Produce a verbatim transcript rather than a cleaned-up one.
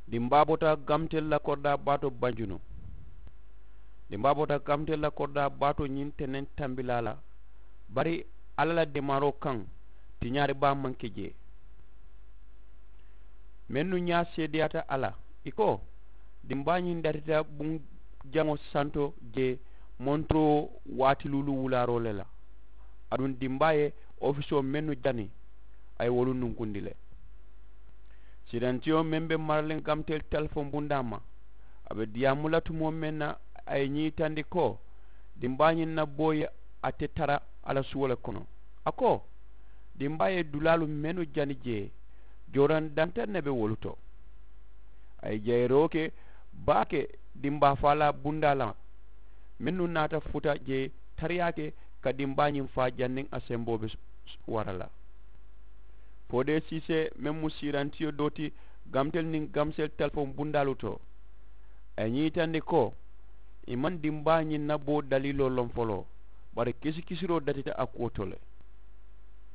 Dimbaa bota gamtel la koridaa baa to banjunu. Dimbaa bota gamtel la koridaa baa to ñiŋ teneŋ tambilaa la. Bari alla la deemaaroo kaŋ, tiñaari baa maŋ ke jee. Mennu ñaa seedeyaata a la, ì ko, dimbaa ñiŋ datita buŋ jaŋo santo jee, montoroo waati luulu wulaaroo le la. Aduŋ dimbaa ye ofisoo mennu jani, a ye wolu nunkundi le. Sirantiyo meŋ be maraliŋ gamtel telefoŋ bundaa ma, a be diyaamu la tumoo meŋ na, a ye ñiitandi ko, dimbaa ñiŋ na boo ye a te tara a la suwo le kono. A ko, dimbaa ye dulaalu mennu jani jee, jooraŋ dantaŋ ne be wolu to. A ye jayiroo ke baake, dimbaa faalaa bundaa la, mennu naata futa jee tariyaa ke ka dimbaa ñiŋ faa janniŋ a semboo be wara la. Foodee siisee meŋ mu siirantiyo doo ti, gamtel niŋ gamsel telefoŋ bundaalu to, a ye ñiitandi ko, ì maŋ dimbaa ñiŋ na boo daliiloo loŋ foloo, bari kisikisiroo datita a kuwo to le.